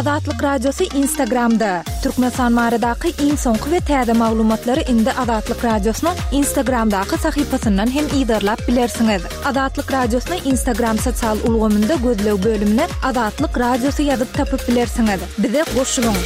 Azatlyk Radiosy Instagramda! Türkmenistan baradaky iň soňky we täze maglumatlary indi Azatlyk Radiosynyň Instagramdaky sahypasyndan hem yzarlap bilersiňiz. Azatlyk Radiosyny Instagram sosial ulgamynda gözleg bölümine Azatlyk Radiosy ýazyp tapyp bilersiňiz. Bize goşulyň!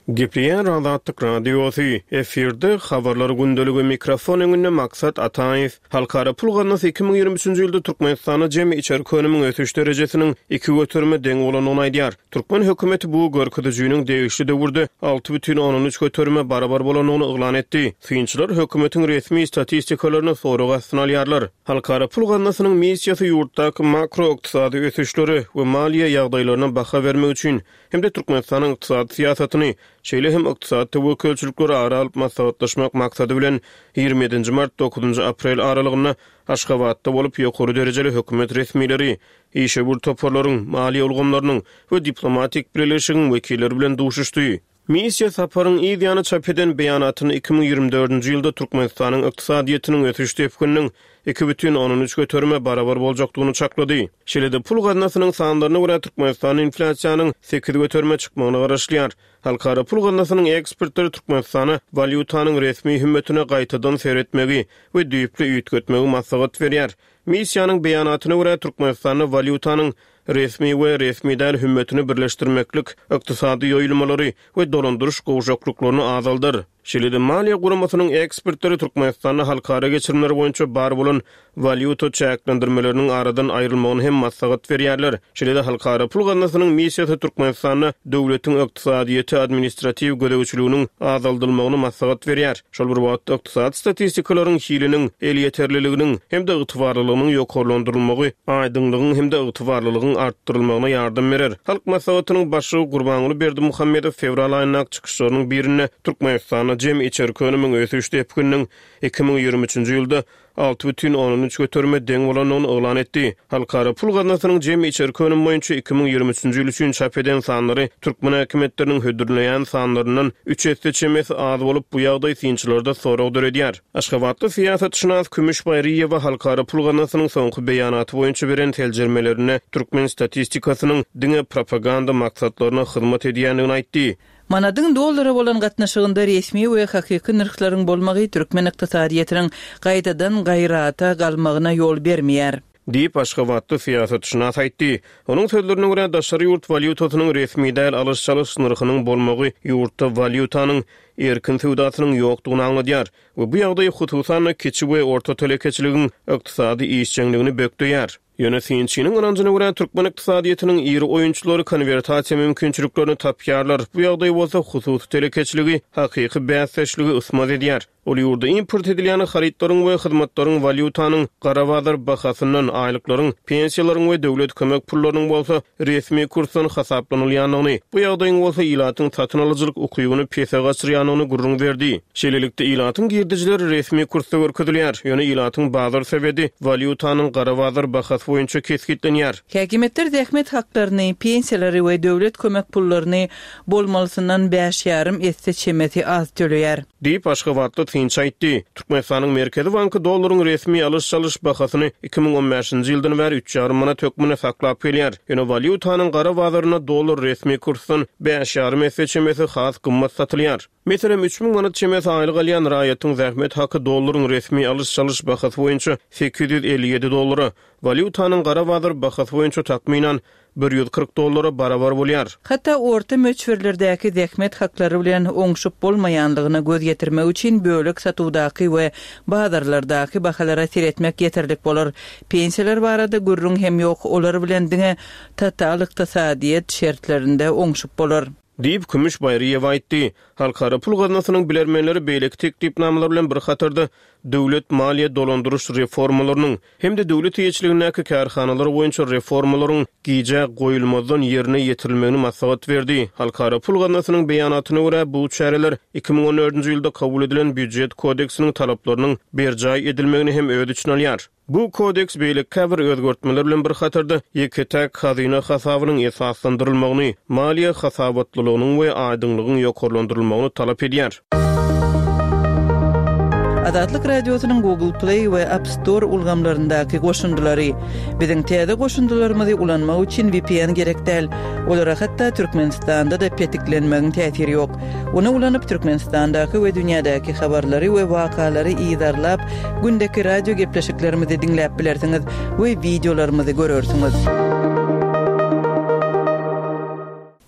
Gepleýär Azatlyk Radiosy, efirde Habarlar gündeligi, mikrofon öňünde Maksat Ataýew. Halkara pul gaznasy 2023-nji ýylda Türkmenistanda jemi içerki önümiň ösüş derejesiniň iki göterime deň bolandygyny aýdýar. Türkmen hökümeti bu görkezijiniň degişli döwürde 6,3 göterime barabar bolandygyny yglan etdi. Synçylar hökümetiň resmi statistikalaryny sorag astyna alýarlar. Halkara pul gaznasynyň missiýasy ýurtdaky makroykdysady ösüşlere we maliýe ýagdaýlaryna baha bermek üçin hem-de Türkmenistanyň ykdysady syýasatyny, şeýle hem ykdysady töwekgelçilikleri ara alyp maslahatlaşmak maksady bilen, 27 nji mart, dokuzynjy aprel aralygynda Aşgabatda bolup, ýokary derejeli hökümet resmileri, işewür toparlaryň, maliýe ulgamlarynyň we diplomatik bileleşigiň wekilleri bilen duşuşdy. Missiýa saparyň yz ýany çap eden beýanatynda 2024-nji ýylda Türkmenistanyň ykdysadyýetiniň ösüş depgininiň 2,3 göterime barabar boljakdygyny çaklady. Şeýle-de, pul gaznasynyň sanlaryna görä, Türkmenistanda inflýasiýanyň 8 göterime çykmagyna garaşylýar. Halkara pul gaznasynyň ekspertleri Türkmenistana walýutanyň resmi hümmetine gaýtadan seretmegi we düýpli üýtgetmegi maslahat berýär. Missiýanyň beýanatyna görä, Türkmenistanda walýutanyň resmi we resmi däl hümmetini birleşdirmeklik ykdysady ýoýulmalary we dolandyryş gowşaklyklaryny azaldar. Şeýle-de, maliýe guramasynyň ekspertleri Türkmenistanda halkara geçirimler boýunça bar bolan walýuta çäklendirmeleriniň aradan aýrylmagyny hem maslahat berýärler. Şeýle-de, Halkara pul gaznasynyň missiýasy Türkmenistanda döwletiň ykdysadyýete administratiw gözegçiliginiň azaldylmagyny maslahat berýär. Şol bir wagtda, ykdysady statistikalaryň hiliniň, elýeterliliginiň hem-de ygtybarlylygynyň ýokarlandyrylmagy aýdyňlygyň hem-de ygtybarlylygyň artdyrylmagyna ýardam berer. Halk Maslahatynyň Başlygy Gurbanguly Berdimuhamedow fewral aýyndaky çykyşlarynyň birinde Türkmenistanda jemi içerki önümiň ösüş depgininiň 2023-nji ýylda 6,3 göterime deň bolandygyny yglan etdi. Halkara pul gaznasynyň jemi içerki önüm boýunça 2023-nji ýyl üçin çap eden sanlary türkmen häkimiýetleriniň hödürleýän sanlaryndan üç esse çemesi az bolup, bu ýagdaý synçylarda sorag döredýär. Aşgabatly syýasatşynas Kümüş Baýryýewa Halkara pul gaznasynyň soňky beýanaty boýunça beren seljermelerinde türkmen statistikasynyň diňe propaganda maksatlaryna hyzmat edýändigini aýtdy. Manadyň dollara bolan gatnaşygynda resmi we hakyky nyrhlaryň bolmagy türkmen ykdysadyýetiniň gaýtadan gaýrata galmagyna ýol bermeýär. Diýip, aşgabatly syýasatşynas aýtdy. Onuň sözlerine görä, daşary ýurt walýutasynyň resmi däl alyş-çalyş nyrhynyň bolmagy ýurtda walýutanyň erkin söwdasynyň ýokdugyny aňladýar we bu ýagdaý hususan-da kiçi we orta telekeçiligiň ykdysady işjeňligini bökdeýär. Ýöne synçynyň ynanjyna görä, türkmen ykdysadyýetiniň iri oýunçylary konwertasiýa mümkinçiliklerini tapýarlar, bu ýagdaý bolsa hususy telekeçiligi hakyky bäsdeşlige ysmaz edýär. Ol ýurda import edilýän harytlaryň we hyzmatlaryň walýutanyň gara bazar bahasyndan, aýlyklaryň, pensiýalaryň we döwlet kömek pullarynyň bolsa resmi kursdan hasaplanylýandygyny, bu ýagdaýyň bolsa ilatyň satyn alyjylyk ukybyny pese gaçyrýandygyny gürrüň berdi. Şeýlelikde, ilatyň girdejileri resmi kursda görkezilýär, ýöne ilatyň bazar sebedi walýutanyň gara bazar bahasy boýunça kesgitlenýär. Häkimiýetler zähmet haklaryny, pensiýalary we döwlet kömek pullaryny bolmalysyndan bäş ýarym esse çemesi az töleýär. Diýip, aşgabatly synçy aýtdy. Türkmenistanyň Merkezi banky dollaryň resmi alyş-çalyş bahasyny 2015-nji ýyldan bäri üç ýarym manat hökmünde saklap gelýär. Ýöne walýutanyň gara bazarynda dollar resmi kursdan bäş ýarym esse çemesi has gymmat satylýar. Meselem, 3000 manat çemesi aýlyk alýan raýatyň zähmet haky dollaryň resmi alyş-çalyş bahasy boýunça 857 dollara, walýutanyň gara bazar bahasy boýunça takmynan 140 dollara barabar bolýar. Hatda orta möçberlerdäki zähmet haklary bilen oňşup bolmaýanlygyna göz ýetirmek üçin bölek satuwdaky we bazarlardaky bahalara seretmek ýeterlik bolar. Pensiýalar barada gürrüň hem ýok, olar bilen diňe total ykdysadyýet şertlerinde oňşup bolar. Diýip, Kümüş Baýryýewa aýtdy. Halkara pul gaznasynyň bilermenleri beýleki teklipnamalar bilen bir hatarda döwlet maliýe dolandyryş reformalarynyň hem-de döwlet eýeçiligindäki kärhanalar boýunça reformalaryň gijä goýulmazdan ýerine ýetirilmegini maslahat berdi. Halkara pul gaznasynyň beýanatyna görä, bu çäreler 2014-nji ýylda kabul edilen Býujet kodeksiniň talaplarynyň berjaý edilmegini hem öz içine alýar. Bu kodeks beýleki käbir özgertmeler bilen bir hatarda, ýeke-täk hazyna hasabynyň esaslandyrylmagyny, maliýe hasabatlylygynyň we aýdyňlygyň ýokarlandyrylmagyny talap edýär. Azatlyk Radiosynyň Google Play we App Store ulgamlaryndaky goşundylary. Biziň täze goşundylarymyzy ulanmak üçin VPN gerek däl. Olara hatda Türkmenistanda-da petiklenmegiň täsiri ýok. Ony ulanyp Türkmenistandaky we dünýädäki habarlary we wakalary yzarlap, gündeki radio gepleşiklerimizi diňläp bilersiňiz we wideolarymyzy görersiňiz.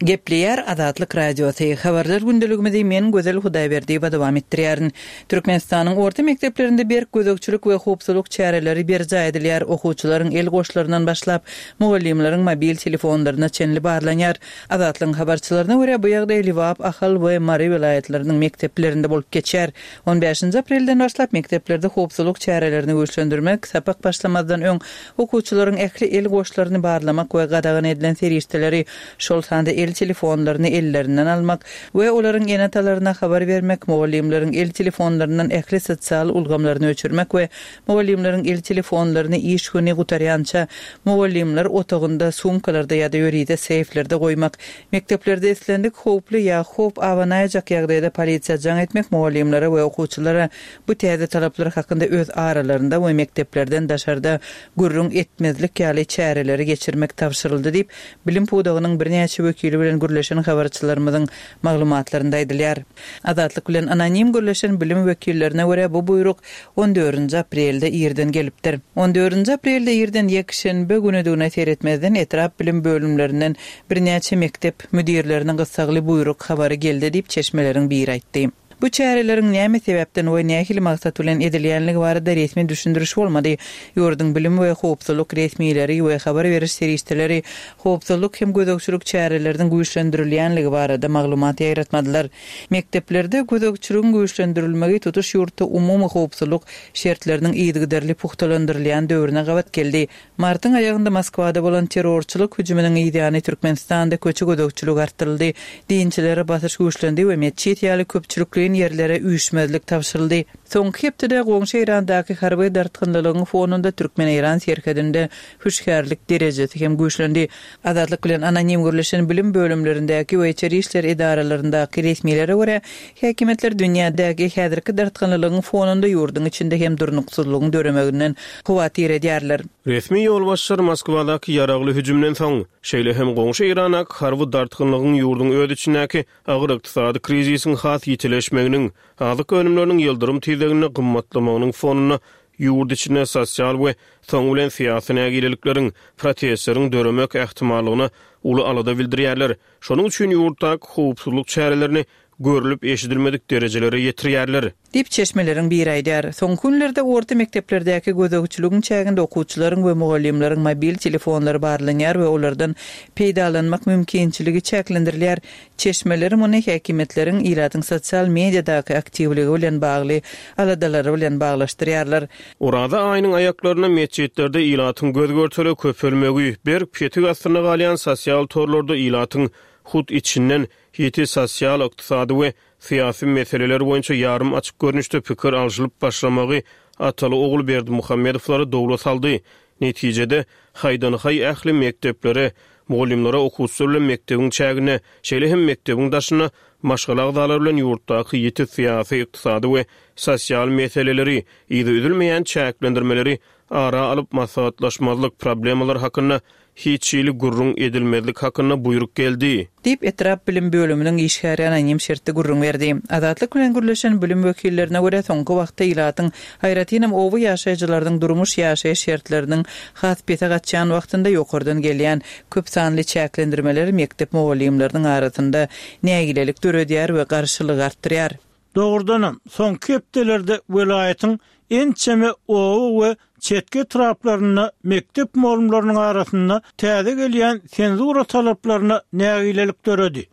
Gepleýär Azatlyk Radiosy, Habarlar gündeligimizi men Gözel Hudaýberdiýewa dowam etdirýärin. Türkmenistanyň orta mekdeplerinde berk gözegçilik we howpsuzlyk çäreleri berjaý edilýär, okuwçylaryň el goşlaryndan başlap, mugallymlaryň mobil telefonlaryna çenli barlanýar. Azatlygyň habarçylaryna görä, bu ýagdaý Lebap, Ahal we Mary welaýatlarynyň mekdeplerinde bolup geçýär. On bäşinji aprelden başlap mekdeplerde howpsuzlyk çärelerini güýçlendirmek, sapak başlamazdan öň okuwçylaryň ähli el goşlaryny barlamak we gadagan edilen serişdeleri, şol sanda el telefonlaryny ellerinden almak we olaryň ene-atalaryna habar bermek, mugallymlaryň el telefonlaryndan ähli sosial ulgamlaryny öçürmek we mugallymlaryň el telefonlaryny iş güni gutarýança mugallymlar otagynda, sumkalarda ýa-da ýörite seýflerde goýmak, mekdeplerde islendik howply ýa howp abanaýjak ýagdaýda polisiýa jaň etmek mugallymlara we okuwçylara bu täze talaplar hakynda öz aralarynda we mekdeplerden daşarda gürrüň etmezlik ýaly çäreleri geçirmek tabşyryldy diýip, bilim pudagynyň birnäçe wekili bilen gürleşen habarçylarymyzyň maglumatlarynda aýdylýar. Azatlyk bilen anonim gürleşen bilim wekillerine görä, bu buýruk on dördünji aprelde irden gelipdir. On dördünji aprelde irden ýekşenbe günüdigine seretmezden etrap bilim bölümlerinden birnäçe mekdep müdirlerine gyssagly buýruk habary geldi diýip, çeşmeleriň biri aýtdy. Bu çäreleriň näme sebäpden we nähili maksat bilen edilýänligi barada resmi düşündiriş bolmady. Ýurduň bilim we howpsuzlyk resmileri we habar beriş serişdeleri howpsuzlyk hem gözegçilik çäreleriniň güýçlendirilýänligi barada maglumat ýaýratmadylar. Mekdeplerde gözegçiligiň güýçlendirilmegi tutuş ýurtda umumy howpsuzlyk şertleriniň yzygiderli pugtalandyrylýan döwrüne gabat geldi. Martyň aýagynda Moskwada bolan terrorçylyk hüjüminiň yzýany Türkmenistanda köçe gözegçiligi artdyryldy, dinçilere basyş güýçlendi we metjit ýaly köpçülikleýin ýerlere üýşmezlik tabşyryldy. Soňky hepdede goňşy Eýrandaky harby dartgynlylygyň fonunda türkmen-eýran serhedinde hüşgärlik derejesi hem güýçlendi. Azatlyk bilen anonim gürleşen bilim bölümlerindäki we içeri işler edaralaryndaky resmilere görä, häkimiýetler dünýädäki häzirki dartgynlylygyň fonunda ýurduň içinde hem durnuksyzlygyň döremeginden howatyr edýärler. Resmi ýolbaşçylar Moskwadaky ýaragly hüjümden soň, şeýle hem goňşy Eýrandaky harby dartgynlygyň ýurduň öz içindäki agyr ykdysady krizisiň has ýitileşmeginiň, azyk önümleriniň ýyldyrym tizliginde gymmatlamagynyň fonunda ýurt içinde sosial we soňy bilen syýasy nägilelikleriň, protestleriň döremek ähtimallygyna uly alada bildirýärler. Şonuň üçin ýurtdaky howpsuzlyk çärelerini görlüp-eşidilmedik derejelere ýetirýärler. Diýip, çeşmeleriň biri aýdýar. Soňky günlerde orta mekdeplerdäki gözegçiligiň çäginde okuwçylaryň we mugallymlaryň mobil telefonlary barlanýar we olardan peýdalanmak mümkinçiligi çäklendirilýär. Çeşmeler muny häkimiýetleriň ilatyň sosial mediadaky aktiwligi bilen bagly aladalary bilen baglaşdyrýarlar. Oraza aýynyň aýaklarynda metjitlerde ilatyň göz-görtele köpelmegi, berk petik astynda galýan sosial torlarda ilatyň hut içinden ýiti sosial, ykdysady we syýasy meseleler boýunça ýarym açyk görnüşde pikir alşylyp başlamagy ataly-ogul Berdimuhamedowlary dowla saldy. Netijede, haýdan-haý ähli mekdeplere, mugallymlara okuwçylar bilen mekdebiň çäginde, şeýle hem mekdebiň daşynda maşgala agzalary bilen ýurtdaky ýiti syýasy, ykdysady we sosial meseleleri, yzy üzülmeýän çäklendirmeleri ara alyp maslahatlaşmazlyk, problemalar hakynda hiç hili gürrüň edilmezlik hakynda buýruk geldi. Diýip, etrap bilim bölüminiň işgäri anonim şertde gürrüň berdi. Azatlyk bilen gürleşen bilim wekillerine görä, soňky wagtda ilatyň, aýratynam oba ýaşaýjylarynyň durmuş-ýaşaýyş şertleriniň has pese gaçýan wagtynda ýokardan gelýän köp sanly çäklendirmeler mekdep mugallymlarynyň arasynda nägilelik döredýär we garşylygy artdyrýar. Dogrudanam, soňky hepdelerde welaýatyň ençeme oba we çetki etraplarynda mekdep mugallymlarynyň arasynda täze gelýän senzura talaplaryna nägilelik döredi.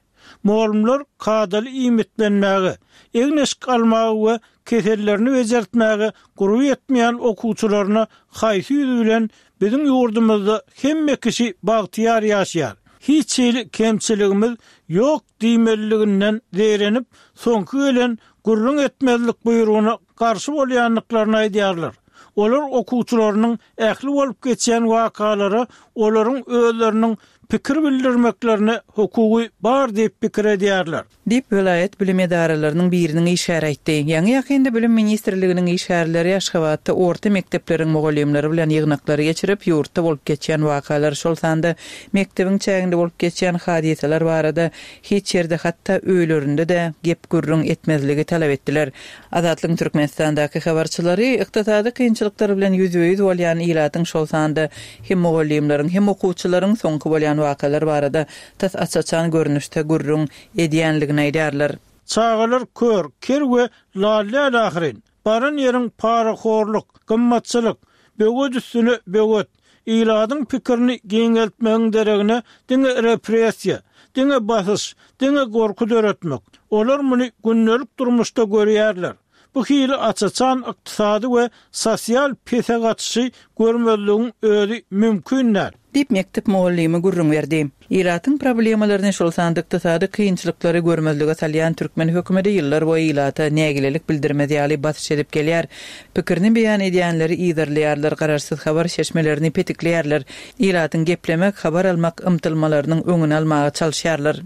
Mugallymlar kadaly iýmitlenmäge, egin-eşik almaga we kesellerini bejertmäge gurby ýetmeýän okuwçylaryna haýsy ýüz bilen biziň ýurdumyzda hemme kişi bagtyýar ýaşaýar, hiç hili kemçiligimiz ýok diýmeliliginden zeýrenip, soňky gelen gürrüň etmezlik buýrugyna garşy bolýandyklaryny aýdýarlar. Olar okuwçylarynyň ähli bolup geçýän wakalara olaryň özleriniň. pikir bildirmeklerine hukugy bar diýip pikir edýärler. Diýip, welaýat bilim edaralarynyň biriniň işgäri aýtdy. Ýaňy-ýakynda Bilim ministrliginiň işgärleri Aşgabatda orta mekdepleriň mugallymlary bilen ýygnaklary geçirip, ýurtda bolup geçýän wakalar, şol sanda mekdebiň çäginde bolup geçýän hadysalar barada hiç ýerde, hatda öýlerinde-de gep-gürrüň etmezligi talap etdiler. Azatlygyň Türkmenistandaky habarçylary ykdysady kynçylyklar bilen ýüzbe-ýüz bolýan ilatyň, şol sanda hem mugallymlaryň, hem okuwçylaryň soňky bolýan wakalar barada tas aç-açan görnüşde gürrüň edýänligini aýdýarlar. Çagalar kör, ker we lal däl ahyryn. Baran ýeriň parahorluk, gymmatçylyk, böwet üstüne böwet. Ilatyň pikirini giňeltmegiň deregine diňe repressiýa, diňe basyş, diňe gorky döretmek. Olar muny gündelik durmuşda görýärler. Bu hili aç-açan ykdysady we sosial pese gaçyşy görmezligiň özi mümkin däl. Diýip, mekdep mugallymy gürrüň berdi. Ilatyň problemalaryny, şol sanda ykdysady kynçylyklary görmezlige salýan türkmen hökümeti ýyllarboýy ilata nägilelik bildirmez ýaly basyş edip gelýär. Pikirini beýan edýänleri yzarlaýarlar, garaşsyz habar çeşmelerini petikleýärler, ilatyň geplemek, habar almak ymtylmalarynyň öňüni almaga çalyşýarlar.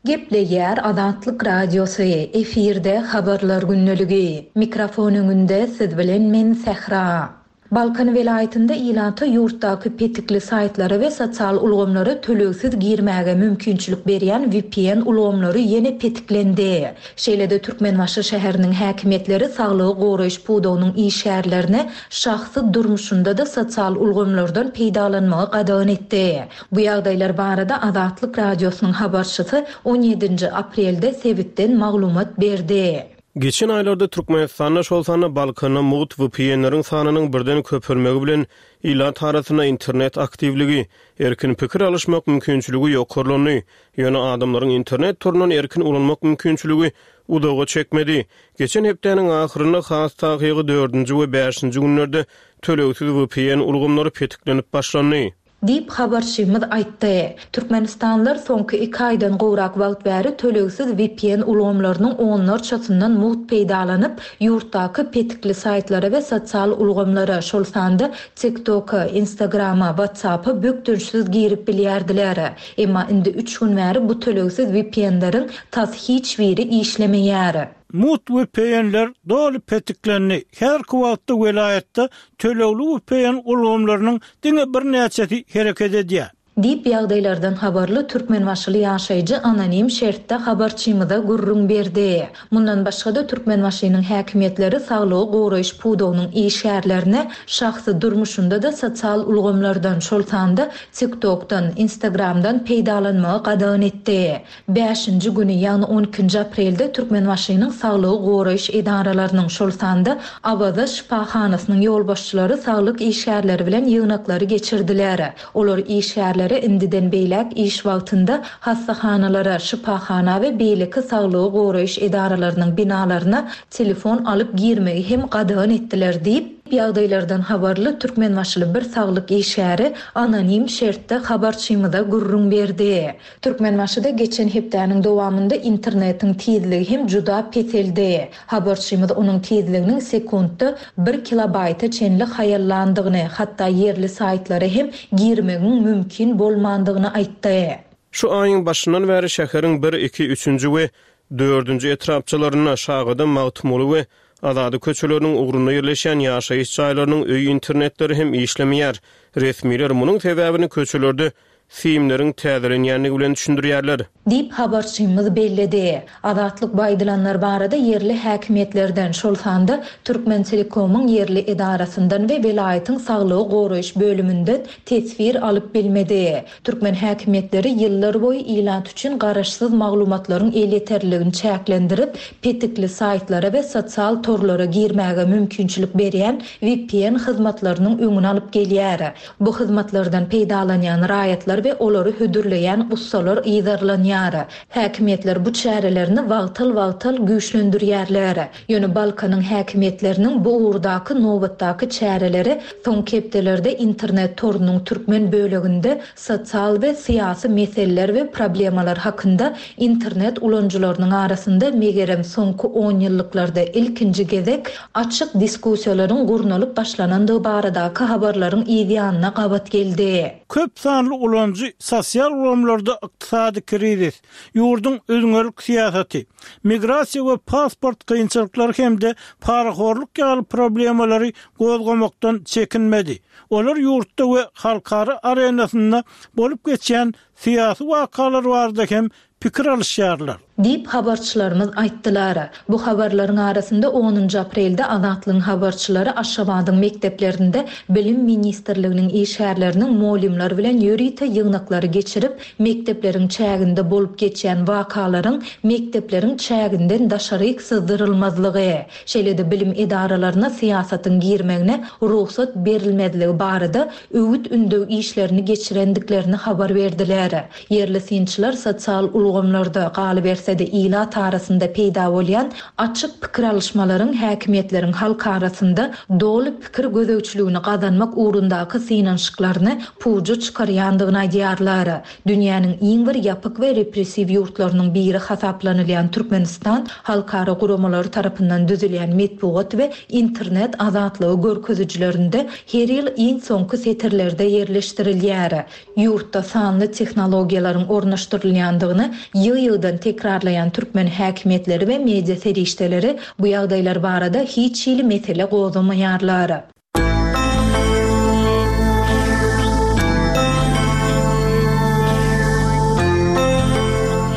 Gepleýär Azatlyk Radiosy, efirde Habarlar gündeligi. Mikrofon öňünde siz bilen men Sähra. Balkan welaýatynda ilata ýurtdaky petikli saýtlara we sosial ulgamlara tölegsiz girmäge mümkinçilik berýän vpn ulgamlary ýene petiklendi. Şeýle-de Türkmenbaşy şäheriniň häkimiýetleri saglygy goraýyş pudagynyň işgärlerine şahsy durmuşynda-da sosial ulgamlardan peýdalanmagy gadagan etdi. Bu ýagdaýlar barada Azatlyk Radiosynyň habarçysy on ýedinji aprelde sebitden maglumat berdi. Geçen aýlarda Türkmenistanda, şol sanda Balkanda mugt VPN-leriň sanynyň birden köpelmegi bilen ilat arasynda internet aktiwligi, erkin pikir alyşmak mümkinçiligi ýokarlandy. Ýöne adamlaryň internet torundan erkin ulanmak mümkinçiligi uzaga çekmedi. Geçen hepdäniň ahyrynda, has takygy dördünji we bäşinji günlerde tölegsiz VPN ulgamlary petiklenip başlandy. Diýip, habarçymyz aýtdy. Türkmenistanlylar soňky iki aýdan gowrak wagt bäri tölegsiz vpn ulgamlarynyň onlarçasyndan mugt peýdalanyp, ýurtdaky petikli saýtlara we sosial ulgamlara, şol sanda TikTok-a, Instagram-a, WhatsApp-a bökdençsiz girip bilýärdiler. Emma indi üç gün bäri bu tölegsiz vpn-leriň tas hiç biri işlemeýär. Mugt vpn-ler doly petiklendi. Häzirki wagtda welaýatda tölegli vpn ulgamlarynyň diňe birnäçesi hereket edýär. Diýip, ýagdaýlardan habarly türkmenbaşyly ýaşaýjy anonim şertde habarçymyza gürrüň berdi. Mundan başga-da, Türkmenbaşynyň häkimiýetleri saglygy goraýyş pudagynyň işgärlerine şahsy durmuşynda-da sosial ulgamlardan, şol sanda TikTok-dan, Instagram-dan peýdalanmagy gadagan etdi. Bäşinji güni, ýagny on ikinji aprelde Türkmenbaşynyň saglygy goraýyş edaralarynyň, şol sanda Awaza şypahanasynyň ýolbaşçylary saglyk işgärleri bilen ýygnaklary geçirdiler. Olar işgärlere indiden beýläk iş wagtynda hassahanalara, şypahana we beýleki saglygy goraýyş edaralarynyň binalaryna telefon alyp girmegi hem gadagan etdiler diýip, ýagdaýlardan habarly türkmenbaşyly bir saglyk işgäri anonim şertde habarçymyza gürrüň berdi. Türkmenbaşyda geçen hepdäniň dowamynda internetiň tizligi hem juda peseldi. Habarçymyz onuň tizliginiň sekuntda bir kilobaýta çenli haýallandygyny, hatda ýerli saýtlara hem girmegiň mümkin bolmandygyny aýtdy. Şu aýyň başyndan bäri şäheriň bir, iki, üçünji we dördünji etrapçalarynda, Şagadam, Magtymguly we Azady köçeleriniň ugrunda ýerleşýän ýaşaýyş jaýlarynyň öý internetleri hem işlemeýär. Resmiler munuň sebäbini köçelerde simleriň täzelenýändigi bilen düşündirýärler. Diýip, habarçymyz belledi. Azatlyk bu aýdylanlar barada ýerli häkimiýetlerden, şol sanda Türkmentelekomyň ýerli edarasyndan we welaýatyň saglygy goraýyş bölüminden teswir alyp bilmedi. Türkmen häkimiýetleri ýyllarboýy ilat üçin garaşsyz maglumatlaryň elýeterliligini çäklendirip, petikli saýtlara we sosial torlara girmäge mümkinçilik berýän vpn hyzmatlarynyň öňüni alyp gelýär. Bu hyzmatlardan peýdalanýan raýatlar. harytlar we olary hödürleýän ussalar yzarlanýar. Häkimiýetler bu çärelerini wagtal-wagtal güýçlendirýärler. Ýöne Balkanyň häkimiýetleriniň bu ugurdaky nobatdaky çäreleri soňky hepdelerde internet torunyň türkmen böleginde sosial we syýasy meseleler we problemalar hakynda internet ulanyjylarynyň arasynda megerem soňky onýyllyklarda ilkinji gezek açyk diskussiýalaryň gurnalyp başlanandygy baradaky habarlaryň yzýanyna gabat geldi. Köp sanly ulanyjy sosial ulgamlarda ykdysady krizis, ýurduň üzňelik syýasaty, migrasiýa we pasport kynçylyklary hem-de parahorluk ýaly problemalary gozgamakdan çekinmedi. Olar ýurtda we halkara arenasynda bolup geçýän syýasy wakalar barada hem pikir alyşýarlar. Diýip, habarçylarymyz aýtdylar. Bu habarlaryň arasynda onunjy aprelde Azatlygyň habarçylary Aşgabadyň mekdeplerinde Bilim ministrliginiň işgärleriniň mugallymlar bilen ýörite ýygnaklary geçirip, mekdepleriň çäginde bolup geçýän wakalaryň mekdepleriň çäginden daşaryk syzdyrylmazlygy, şeýle-de bilim edaralaryna syýasatyň girmegine rugsat berilmezligi barada öwüt-ündew işlerini geçirendiklerini habar berdiler. Ýerli synçylar sosial ulgamlarda, galyberse-de ilat arasynda peýda bolýan açyk pikir alyşmalaryň häkimiýetleriň halk arasynda doly pikir gözegçiligini gazanmak ugrundaky synanyşyklaryny puja çykarýandygyny aýdýarlar. Dünýäniň iň bir ýapyk we repressiw ýurtlarynyň biri hasaplanylýan Türkmenistan halkara guramalary tarapyndan düzülýän metbugat we internet azatlygy görkezijilerinde her ýyl iň soňky setirlerde ýerleşdirilýär. Ýurtda sanly tehnologiýalaryň ornaşdyrylýandygyny ýygy-ýygydan tekrarlaýan türkmen häkimiýetleri we media serişdeleri bu ýagdaýlar barada hiç hili mesele gozgamaýarlar.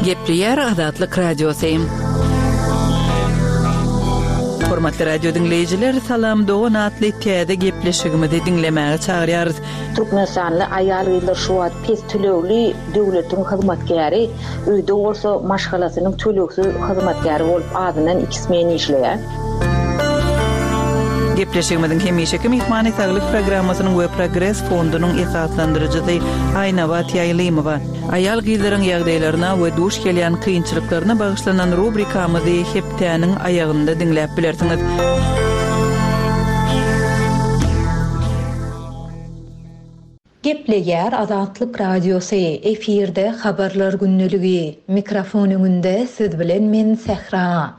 Gepleýär Azatlyk Radiosy. Hormatly radio diňleýjiler, Salam dogan atly täze gepleşigimizi diňlemäge çagyrýarys. Türkmenistanly aýal-gyzlar şu wagt pes tölegli döwletiň hyzmatkäri, öýde bolsa maşgalasynyň tölegsiz hyzmatkäri bolup azyndan iki smen işleýär. Gepleşigimiziň hemişeki myhmany Saglyk programmasynyň we Progres fondunyň esaslandyryjysy Aýnabat Ýaýlymowa. Aýal-gyzlaryň ýagdaýlaryna we duş gelýän kynçylyklaryna bagyşlanan rubrikamyzy hepdäniň aýagynda diňläp bilersiňiz. Gepleýär Azatlyk Radiosy, efirde Habarlar gündeligi. Mikrofon öňünde siz bilen men Sähra.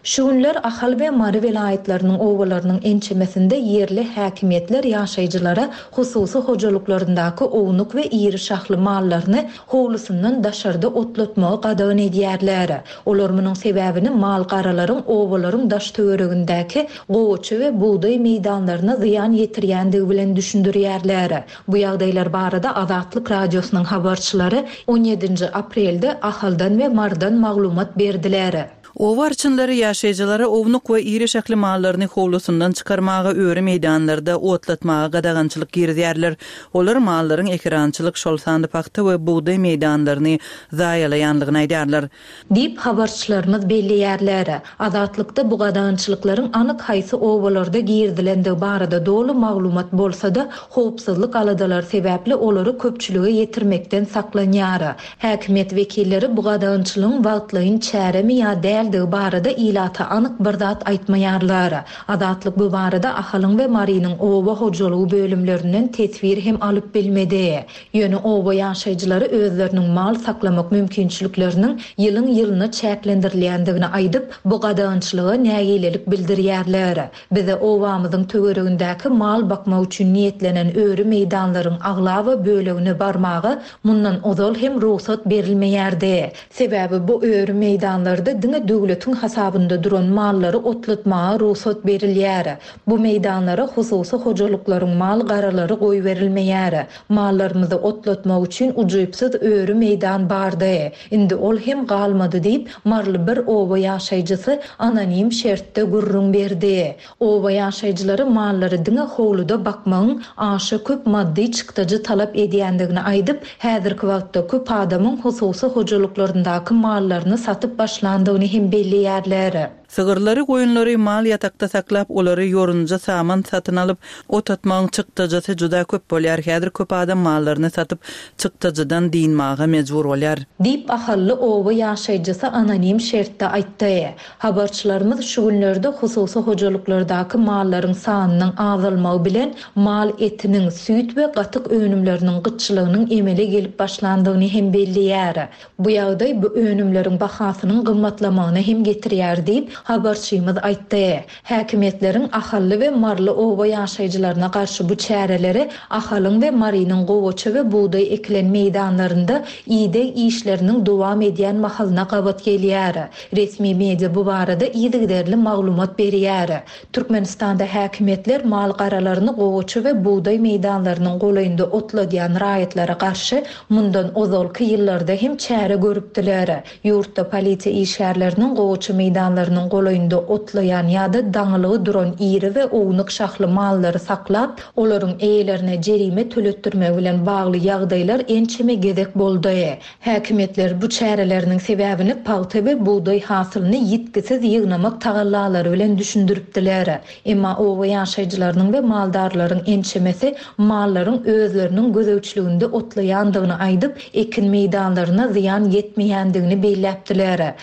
Şu günler Ahal we Mary welaýatlarynyň obalarynyň ençemesinde ýerli häkimiýetler ýaşaýjylara hususy hojalyklaryndaky ownuk we iri şahly mallaryny howlusyndan daşarda otlatmagy gadagan edýärler. Olar munuň sebäbini mal-garalaryň obalaryň daş-töweregindäki gowaça we bugdaý meýdanlaryna zyýan ýetirýändigi bilen düşündirýärler. Bu ýagdaýlar barada Azatlyk Radiosynyň habarçylary on ýedinji aprelde Ahaldan we Marydan maglumat berdiler. Oba arçynlary ýaşaýjylara ownuk we iri şahly mallaryny howlusyndan çykarmaga, öri meýdanlarda otlatmaga gadagançylyk girizýärler. Olar mallaryň ekerançylyk, şol sanda pagta we bugdaý meýdanlaryny zaýalaýanlygyny aýdýarlar. Diýip, habarçylarymyz belleýärler. Azatlykda bu gadagançylyklaryň anyk haýsy obalarda girizilendigi barada doly maglumat bolsa-da, howpsuzlyk aladalary sebäpli olary köpçülige ýetirmekden saklanýar. Häkimiýet wekilleri bu gadagançylygyň wagtlaýyn çäremi ýa däldigi barada ilata anyk bir zat aýtmaýarlar. Azatlyk bu barada Ahalyň we Marynyň oba hojalygy bölümlerinden teswir hem alyp bilmedi. Ýöne oba ýaşaýjylary özleriniň mal saklamak mümkinçilikleriniň ýylyň-ýylyna çäklendirilýändigini aýdyp, bu gadagançylyga nägilelik bildirýärler. Bize obamyzyň töweregindäki mal bakmak üçin niýetlenen öri meýdanlaryň aglaba bölegine barmaga mundan ozal hem rugsat berilmeýärdi. Sebäbi bu öri meýdanlarda diňe döwletiň hasabynda duran mallary otlatmaga rugsat berilýär. Bu meýdanlara hususy hojalyklaryň mal-garalary goýberilmeýär. Mallarymyzy otlatmak üçin ujypsyz öri meýdan bardy. Indi ol hem galmady diýip, maryly bir oba ýaşaýjysy anonim şertde gürrüň berdi. Oba ýaşaýjylary mallary diňe howluda bakmagyň aşa köp maddy çykdajy talap edýändigini aýdyp, häzirki wagtda köp adamyň hususy hojalyklaryndaky mallaryny satyp başlandygyny hem belleýärler. Sygyrlary, goýunlary mal ýatakda saklap, olary ýorunja, saman satyn alyp, ot atmagyň çykdajysy juda köp bolýar. Häzir köp adam mallaryny satyp, çykdajydan dynmaga mejbur bolýar. Diýip, ahally oba ýaşaýjysy anonim şertde aýtdy. Habarçylarymyz şu günlerde hususy hojalyklardaky mallaryň sanynyň azalmagy bilen mal etiniň, süýt we gatyk önümleriniň gytçylygynyň emele gelip başlandygyny hem belleýär. Bu ýagdaý bu önümleriň bahasynyň gymmatlamagyna hem getirýär diýip, habarçymyz aýtdy. Häkimiýetleriň ahally we maryly oba ýaşaýjylaryna garşy bu çäreleri Ahalyň we Marynyň gowaça we bugdaý ekilen meýdanlarynda ideg işleriniň dowam edýän mahalyna gabat gelýär. Resmi media bu barada yzygiderli maglumat berýär. Türkmenistanda häkimiýetler mal-garalaryny gowaça we bugdaý meýdanlarynyň golaýynda otladýan raýatlara garşy mundan ozalky ýyllarda hem çäre görüpdiler. Ýurtda polisiýa işgärleriniň gowaça meýdanlarynyň golaýynda otlaýan ýa-da daňylgy duran iri we ownuk şahly mallary saklap, olaryň eýelerine jerime töletdirmegi bilen bagly ýagdaýlar ençeme gezek boldy. Häkimiýetler bu çäreleriniň sebäbini pagta we bugdaý hasylyny ýitgisiz ýygnamak tagallalary bilen düşündiripdiler. Emma oba ýaşaýjylarynyň we maldarlaryň ençemesi mallaryň özleriniň gözegçiliginde otlaýandygyny aýdyp, ekin meýdanlaryna zyýan ýetmeýändigini belläpdiler.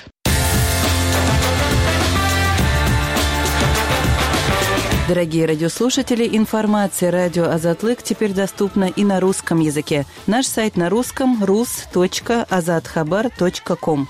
Дорогие радиослушатели, информация радио Азатлык теперь доступна и на русском языке. Наш сайт на русском rus.azathabar.com.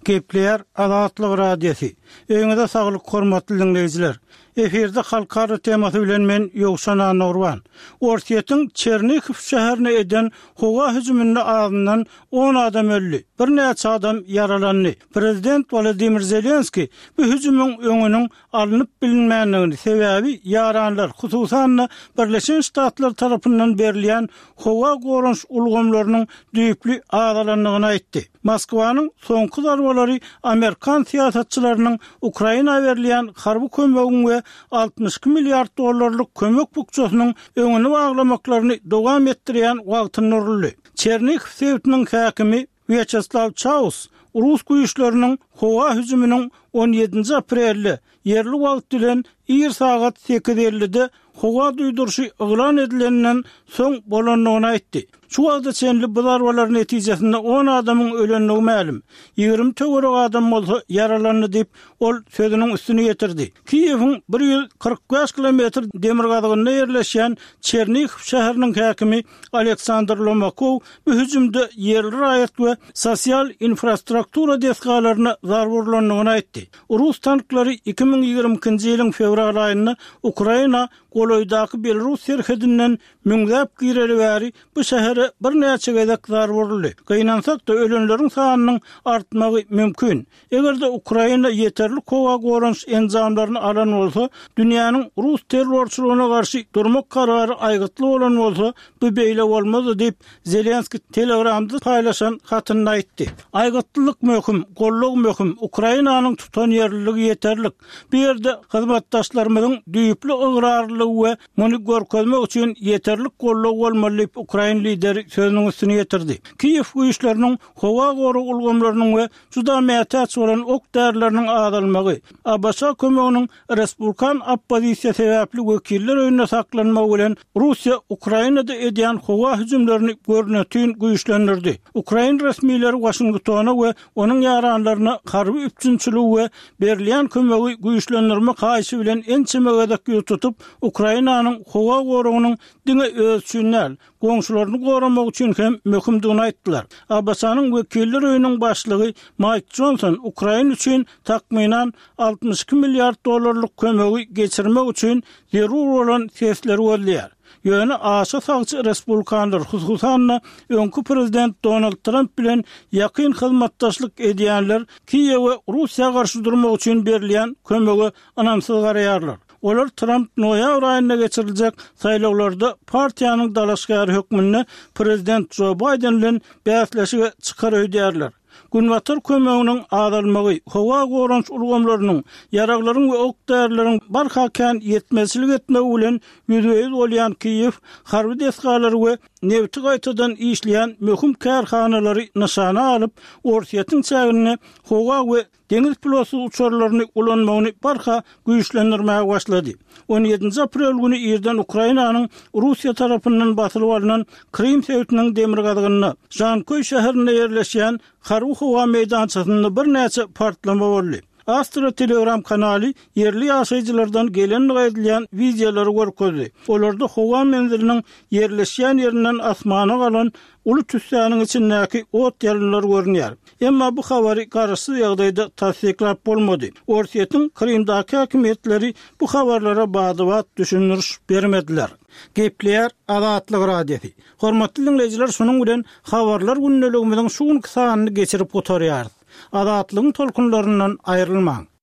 Gepleýär Azatlyk Radiosy. Öýüňize saglyk hormatly diňleýjiler. Efirde halkara temasy bilen men Ýowşan Annagurban. Orsýetiň Çernihiw şäherine eden howa hüjüminde azyndan on adam öldi, birnäçe adam ýaralandy. Prezident Wolodymyr Zelenskiý bu hüjümiň öňüniň alnyp bilinmändigini, sebäbi ýaranlar, hususan-da, Birleşen Ştatlar tarapyndan berilýän howa goranyş ulgamlarynyň düýpli azalandygyny aýtdy. Moskwanyň soňky zarbalary amerikan syýasatçylarynyň Ukraina berilýän harby kömegiň we 62 milliard dollarlyk kömek bukjasynyň öňüni baglamaklaryny dowam etdirýän wagtynda uruldy. Çernihiw sebitiniň häkimi Wýaçeslaw Çaus rus güýçleriniň howa hüjüminiň on ýedinji aprelde, ýerli wagt bilen ir sagat sekiz ellide howa duýduryşy yglan edilenden soň bolandygyny aýtdy. Şu wagta çenli bu zarbalar netijesinde on adamyň ölendigi mälim, 20 töweregi adam bolsa ýaralandy diýip, ol sözüniň üstüni ýetirdi. Kiýewiň 145 kilometr demirgazygynda ýerleşýän Çernihiw şäheriniň häkimi Aleksandr Lomakow bu hüjümde ýerli raýat we sosial infrastruktura desgalaryna zarba urlandygyny aýtdy. Rus tanklary 2022-nji ýylyň fewral aýynda Ukraina golaýdaky Belarus serhedinden müňzäp gireli bäri bu şähere birnäçe gezek zarba uruldy. Gynansak-da, ölenleriň sanynyň artmagy mümkin. Eger-de Ukraina ýeterlik howa goranyş enjamlaryny alan bolsa, dünýäniň rus terrorçylygyna garşy durmak karary aýgytly bolan bolsa, bu beýle bolmazdy diýip, Zelenskiý Telegramda paýlaşan hatynda aýtdy. Aýgytlylyk möhüm, goldaw möhüm, Ukrainanyň tutanýerliligi ýeterlik. Bu ýerde hyzmatdaşlarymyzyň düýpli ygrarlylygy we muny görkezmek üçin ýeterlik goldaw bolmaly diýip, ukrain lideri sözüniň üstüni ýetirdi. Kiýew güýçleriniň howa gorag ulgamlarynyň we juda mätäç bolan ok-därileriniň azalmagy, ABŞ kömeginiň respublikan oppozisiýa sebäpli wekiller öýünde saklanmagy bilen Russiýa Ukrainada edýän howa hüjümlerini görnetin güýçlendirdi. Ukrain resmileri Waşingtona we onuň ýaranlaryna harby üpjünçiligi we berilýän kömegi güýçlendirmek haýyşy bilen ençeme gezek ýüz tutup, Ukrainanyň howa goragynyň diňe özi üçin däl, goňşularyny goramak üçin hem möhümdigini aýtdylar. ABŞ-nyň Wekiller öýüniň başlygy Maýk Jonson Ukraina üçin takmynan 62 milliard dollarlyk kömegi geçirmek üçin zerur bolan sesleri gözleýär. Ýöne aşa sagçy respublikanlar, hususan-da, öňki prezident Donald Tramp bilen ýakyn hyzmatdaşlyk edýänler Kiýewe Russiýa garşy durmak üçin berilýän kömege ynamsyz garaýarlar. Olar Tramp noýabr aýynda geçiriljek saýlawlarda partiýanyň dalaşgäri hökmünde prezident Jo Baýden bilen bäsleşige çykar öýdýärler. Günbatar kömeginiň azalmagy, howa goranyş ulgamlarynyň, ýaraglaryň we ok-därileriň barha kän ýetmezçilik etmegi bilen ýüzbe-ýüz bolýan Kiýew harby desgalary we. nebiti gaýtadan işleýän möhüm kärhanalary nyşana alyp, Orsýetiň çäginde howa we deňiz pilotsyz uçarlaryny ulanmagyny barha güýçlendirmäge başlady. On ýedinji aprel güni irden Ukrainanyň Russiýa tarapyndan basylyp alnan Krym sebitiniň demirgazygynda, Žanköý şäherinde ýerleşýän harby howa meýdançasynda birnäçe partlama boldy. Astra Telegram kanaly ýerli ýaşaýjylardan gelendigi aýdylýan wideolary görkezdi. Olarda howa menziliniň ýerleşýän ýerinden asmana galan uly tüssäniň içindäki ot-ýalynlar görünýär. Emma bu habary garaşsyz ýagdaýda tassyklap bolmady. Orsýetiň Krymdaky häkimiýetleri bu habarlara bada-bat düşündiriş bermediler. Gepleýär Azatlyk Radiosy. Hormatly diňleýjiler şunuň bilen Habarlar gündeligimiziň şu günki sanyny geçirip gutarýarys. Azatlygyň tolkunlaryndan aýrylmaň!